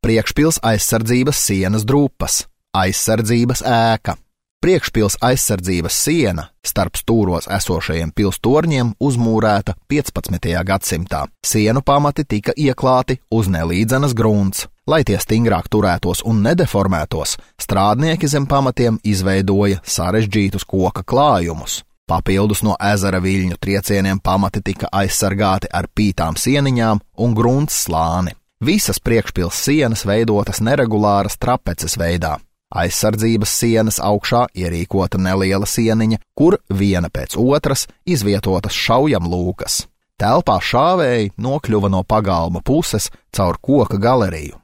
priekšpils aizsardzības sienas drupas, aizsardzības ēka. Priekšpils aizsardzības siena starp stūros esošajiem pilstorņiem uzmūrēta 15. gadsimtā. Sienu pamati tika ieklāti uz nelīdzenas grunts. Lai tie stingrāk turētos un nedeformētos, strādnieki zem pamatiem izveidoja sarežģītus koka klājumus. Papildus no ezera viļņu triecieniem pamati tika aizsargāti ar pītām sieniņām un grunts slāni. Visas priekšpils sienas veidotas neregulāras trapeces veidā. Aizsardzības sienas augšā ierīkota neliela sieniņa, kur viena pēc otras izvietotas šaujamlūkas. Telpā šāvēji nokļuva no pagalma puses caur koka galeriju.